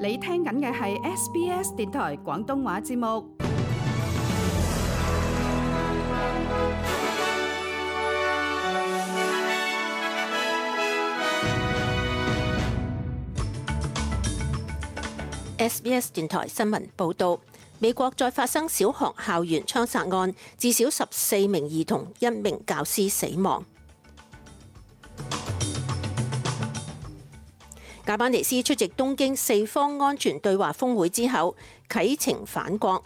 你聽緊嘅係 SBS 電台廣東話節目。SBS 電台新聞報導，美國再發生小學校園槍殺案，至少14名兒童、1名教師死亡。艾班尼斯出席東京四方安全對話峰會之後，啟程返國。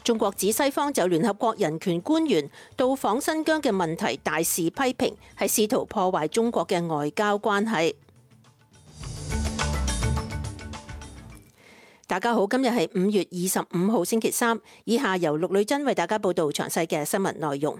中國指西方就聯合國人權官員到訪新疆嘅問題大肆批評，係試圖破壞中國嘅外交關係。大家好，今日係5月25號星期三，以下由陸女真為大家報道詳細嘅新聞內容。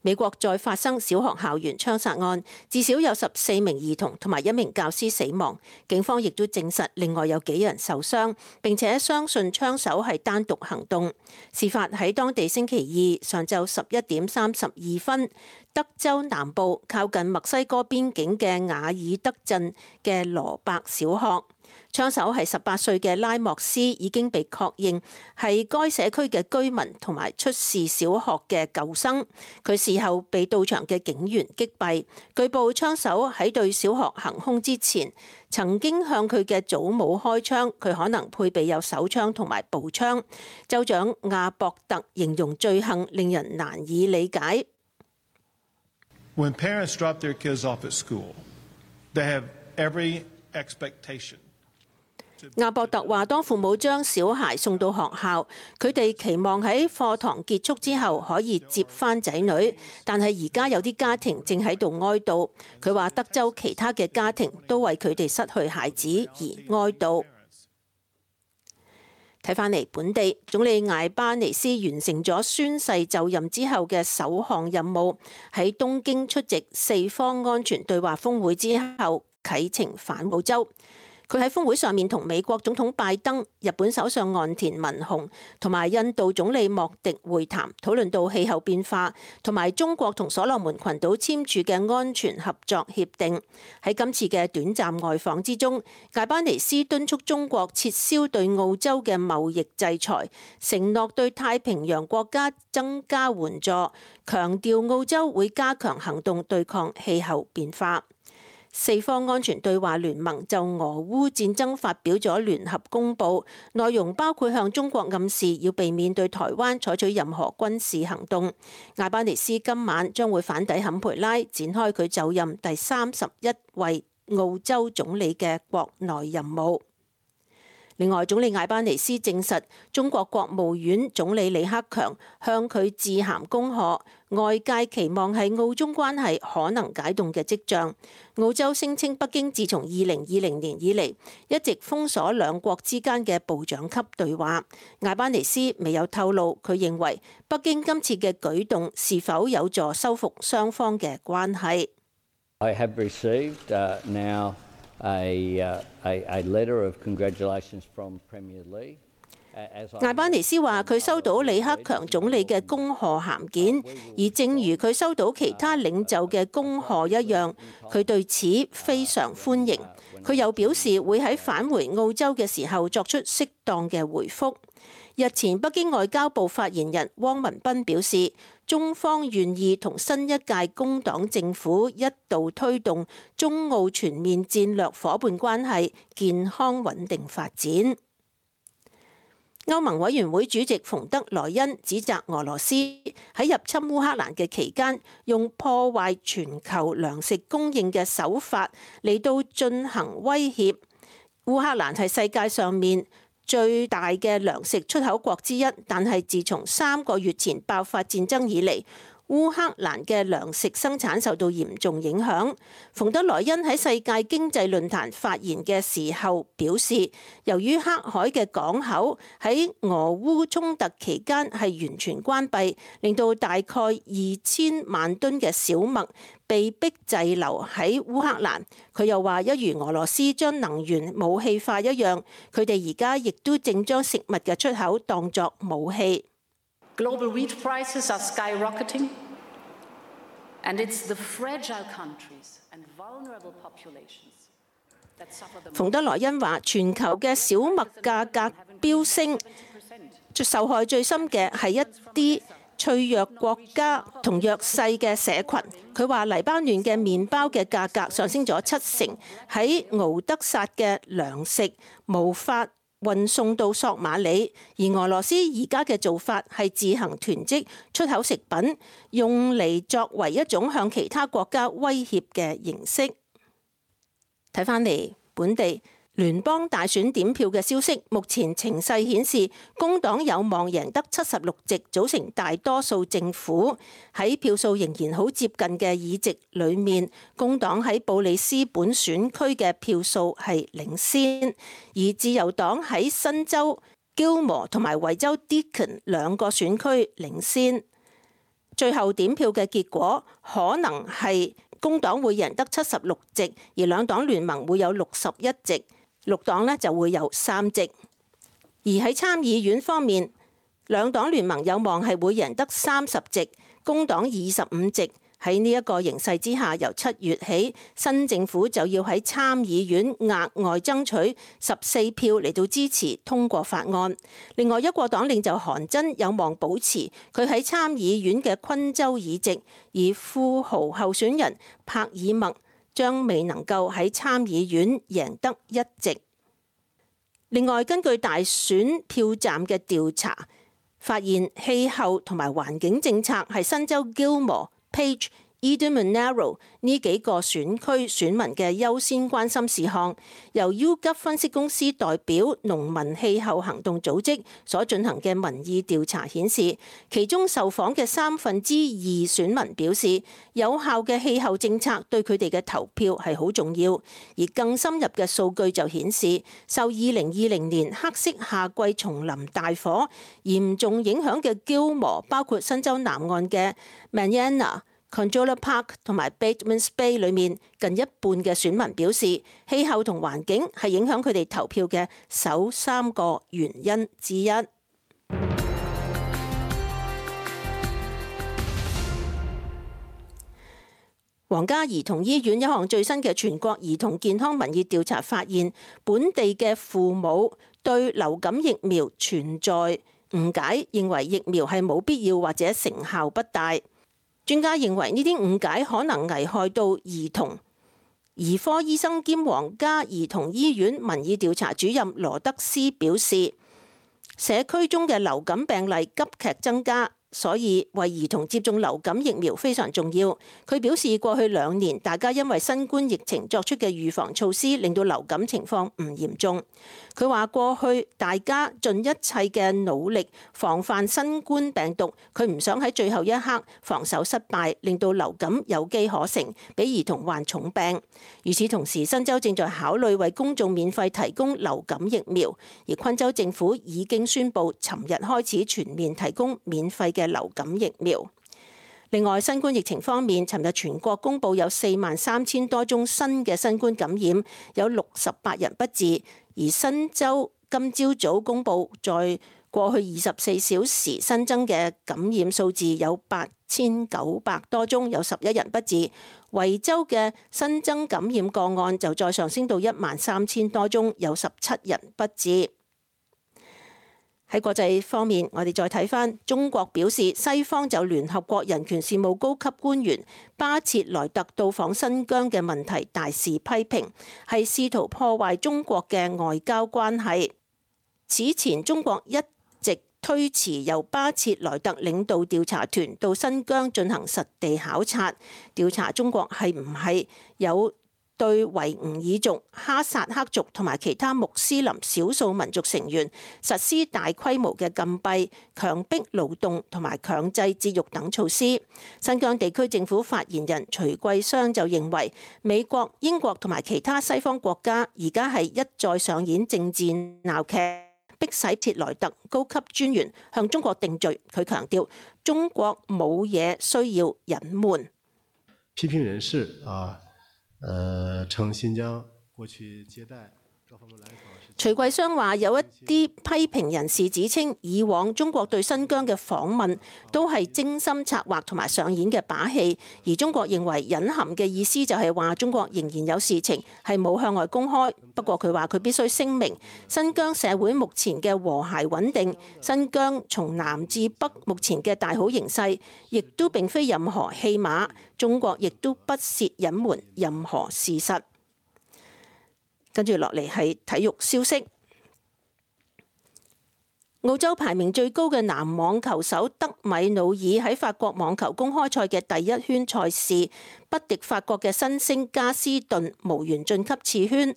美國再發生小學校園槍殺案，至少有14名兒童同埋1名教師死亡。警方亦都證實另外有幾人受傷，並且相信槍手係單獨行動。事發喺當地星期二上晝11點32分，德州南部靠近墨西哥邊境嘅瓦爾德鎮嘅羅伯小學。槍手係18歲嘅拉莫斯，已經被確認係該社區嘅居民同埋出事小學嘅舊生。佢事後被到場嘅警員擊斃。據報槍手喺對小學行兇之前，曾經向佢嘅祖母開槍，佢可能配備有手槍同埋步槍。州長亞博特形容罪行令人難以理解。When parents drop their kids off at school, they have every expectation。亞博特話：當父母將小孩送到學校，佢哋期望喺課堂結束之後可以接返仔女，但係而家有啲家庭正喺度哀悼。佢話德州其他嘅家庭都為佢哋失去孩子而哀悼。睇返嚟本地，總理艾巴尼斯完成咗宣誓就任之後嘅首項任務，喺東京出席四方安全對話峰會之後啟程返澳洲。佢喺峰會上面同美國總統拜登、日本首相岸田文雄同埋印度總理莫迪會談，討論到氣候變化同埋中國同所羅門群島簽署嘅安全合作協定。喺今次嘅短暫外訪之中，艾巴尼斯敦促中國撤銷對澳洲嘅貿易制裁，承諾對太平洋國家增加援助，強調澳洲會加強行動對抗氣候變化。四方安全對話聯盟就俄烏戰爭發表咗聯合公報，內容包括向中國暗示要避免對台灣採取任何軍事行動。艾巴尼斯今晚將會返抵坎培拉，展開佢就任第31位澳洲總理嘅國內任務。另外，總理艾巴尼斯證實，中國國務院總理李克強向佢致函恭賀，外界期望係澳中關係可能解凍嘅跡象。澳洲聲稱北京自從2020年以嚟一直封鎖兩國之間嘅部長級對話。艾巴尼斯未有透露佢認為北京今次嘅舉動是否有助修復雙方嘅關係。I have received now a letter of congratulations from Premier Lee。艾巴尼斯話：佢收到李克強總理嘅恭賀函件，而正如佢收到其他領袖嘅恭賀一樣，佢對此非常歡迎。佢又表示會喺返回澳洲嘅時候作出適當嘅回覆。日前，北京外交部發言人汪文斌表示，中方願意同新一屆工黨政府一道推動中澳全面戰略夥伴關係健康穩定發展。歐盟委員會主席馮德萊恩指責俄羅斯喺入侵烏克蘭嘅期間，用破壞全球糧食供應嘅手法嚟到進行威脅。烏克蘭係世界上面最大嘅糧食出口國之一，但係自從3個月前爆發戰爭以嚟，烏克蘭嘅糧食生產受到嚴重影響。馮德萊恩喺世界經濟論壇發言嘅時候表示，由於黑海嘅港口喺俄烏衝突期間係完全關閉，令到大概2000萬噸嘅小麥被迫滯留喺烏克蘭。佢又話，一如俄羅斯將能源武器化一樣，佢哋而家亦都正將食物嘅出口當作武器。Global wheat prices are skyrocketing, and it's the fragile countries 馮德萊恩話：全球嘅小麥價格飆升，受害最深嘅係一啲脆弱國家同弱勢嘅社群。佢話黎巴嫩嘅麵包嘅價格上升咗7成，喺敖德薩嘅糧食無法運送到索馬里，而俄羅斯而家嘅做法係自行囤積出口食品，用嚟作為一種向其他國家威脅嘅形式。睇返嚟本地聯邦大選點票嘅消息，目前情勢顯示工黨有望贏得76席，組成大多數政府。喺票數仍然好接近嘅議席裏面，工黨喺布里斯本選區嘅票數係領先，而自由黨喺新州 Gilmore 同埋維州 Deakin 兩個選區領先。最後點票嘅結果可能係工黨會贏得76席，而兩黨聯盟會有61席。綠黨呢就會有3席，而喺參議院方面，兩黨聯盟有望係會贏得30席，工黨25席。喺呢一個形勢之下，由7月起，新政府就要喺參議院額外爭取14票嚟到支持通過法案。另外，一國黨領袖韓真有望保持佢喺參議院嘅昆州議席，而富豪候選人帕爾默將未能夠喺參議院贏得1席。另外，根據大選票站嘅調查，發現氣候同埋環境政策係新州 Gilmore、Page、Eden-Monaro 呢幾個選區選民嘅優先關心事項。由 YouGov 分析公司代表農民氣候行動組織所進行嘅民意調查顯示，其中受訪嘅2/3選民表示，有效嘅氣候政策對佢哋嘅投票係好重要。而更深入嘅數據就顯示，受2020年黑色夏季叢林大火嚴重影響嘅 Gilmore， 包括新州南岸嘅 Manana、Conjola Park 同埋 Batemans Bay 裏面，近一半嘅選民表示，氣候同環境係影響佢哋投票嘅首3個原因之一。皇家兒童醫院一項最新嘅全國兒童健康民意調查發現，本地嘅父母對流感疫苗存在誤解，認為疫苗係冇必要或者成效不大。專家認為呢啲誤解可能危害到兒童。兒科醫生兼皇家兒童醫院民意調查主任羅德斯表示，社區中嘅流感病例急劇增加，所以為兒童接種流感疫苗非常重要。佢表示，過去2年大家因為新冠疫情作出嘅預防措施，令到流感情況唔嚴重。佢話過去大家盡一切嘅努力防範新冠病毒，佢唔想喺最後一刻防守失敗，令到流感有機可乘，俾兒童患重病。與此同時，新州正在考慮為公眾免費提供流感疫苗，而昆州政府已經宣布尋日開始全面提供免費嘅流感疫苗。另外，新冠疫情方面，尋日全國公布有43000多宗新嘅新冠感染，有68人不治。而新州今朝早公布，在過去24小時新增嘅感染數字有8900多宗，有11人不治。維州嘅新增感染個案就再上升到13000多宗，有17人不治。喺國際方面，我哋再睇返中國表示，西方就聯合國人權事務高級官員巴切萊特到訪新疆嘅問題大肆批評，係試圖破壞中國嘅外交關係。此前中國一直推遲由巴切萊特領導調查團到新疆進行實地考察，調查中國係唔係有對維吾爾族、哈薩克族同埋其他穆斯林少數民族成員實施大規模嘅禁閉、強迫勞動同埋強制節育等措施。新疆地區政府發言人徐桂湘就認為，美國、英國同埋其他西方國家而家係一再上演政治鬧劇，迫使切萊特高級專員向中國定罪。佢強調，中國冇嘢需要隱瞞。批評人士稱新疆過去接待徐桂湘話：有一啲批評人士指稱，以往中國對新疆嘅訪問都係精心策劃同埋上演嘅把戲，而中國認為隱含嘅意思就係話中國仍然有事情係冇向外公開。不過佢話佢必須聲明，新疆社會目前嘅和諧穩定，新疆從南至北目前嘅大好形勢，亦都並非任何戲碼，中國亦都不屑隱瞞任何事實。跟住落嚟係體育消息。澳洲排名最高嘅男網球手德米努爾喺法國網球公開賽嘅第一圈賽事不敵法國嘅新星加斯頓，無緣晉級次圈。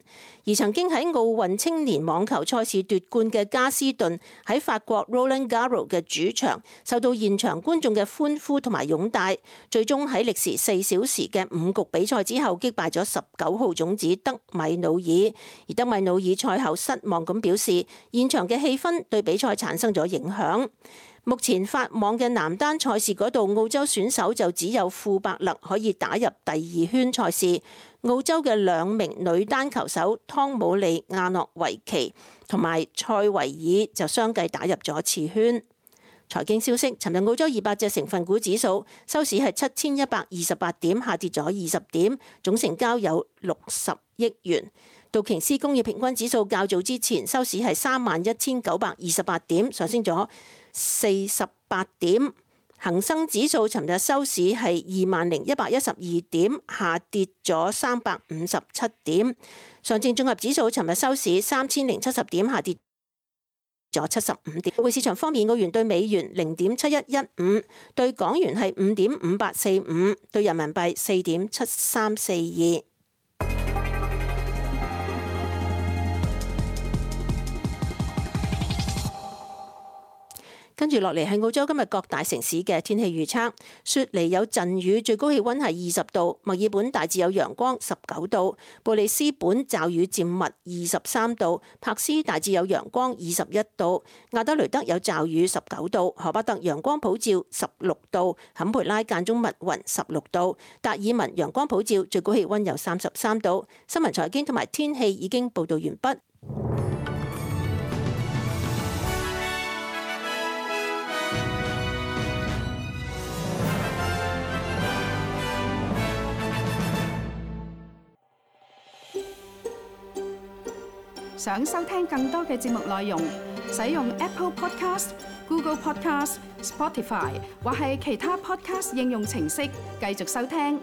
而曾經喺奧運青年網球賽事奪冠嘅加斯頓喺法國 Roland Garros 嘅主場受到現場觀眾嘅歡呼同埋擁戴，最終喺歷時4小時嘅5局比賽之後擊敗咗19號種子德米努爾。而德米努爾賽後失望咁表示，現場嘅氣氛對比賽產生咗影響。目前法網嘅男單賽事嗰度，澳洲選手就只有庫伯勒可以打入第2圈賽事。澳洲嘅2名女單球手湯姆利亞諾維奇同埋塞維爾就相繼打入咗次圈。財經消息，尋日澳洲200隻成分股指數收市係7128點，下跌咗20點，總成交有60億元。道瓊斯工業平均指數較早之前收市係31,928點，上升咗48點。恒生指數尋日收市係20,112點，下跌咗357點。上證綜合指數尋日收市3070點，下跌咗75點。匯市場方面，澳元對美元0.7115，對港元係5.5845，對人民幣4.7342。跟住落嚟係澳洲今日各大城市嘅天氣預測。雪梨有陣雨，最高氣溫係20度；墨爾本大致有陽光，19度；布里斯本驟雨漸密，23度；柏斯大致有陽光，21度；亞德雷德有驟雨，19度；荷巴特陽光普照，16度；坎培拉間中密雲，16度；達爾文陽光普照，最高氣溫有33度。新聞財經同埋天氣已經報道完畢。想收聽更多嘅節目內容，使用 Apple Podcast、Google Podcast、Spotify 或係其他 Podcast 應用程式繼續收聽。